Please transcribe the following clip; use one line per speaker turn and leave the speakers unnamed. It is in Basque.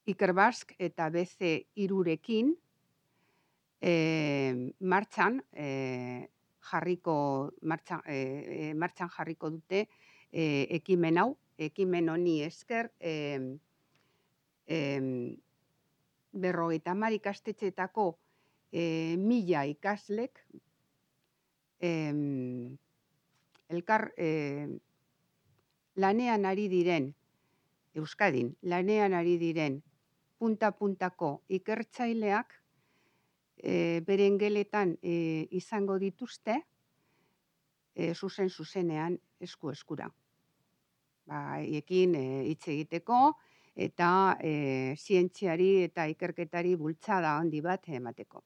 Ikerbasque eta BC irurekin martxan jarriko dute ekimen hau, ekimen honi esker 50 ikastetxeetako 1000 ikaslek elkar lanean ari diren, Euskadin, lanean ari diren punta-puntako ikertzaileak beren geletan izango dituzte zuzenean esku-eskura. Haiekin hitz egiteko eta zientziari eta ikerketari bultzada handi bat emateko.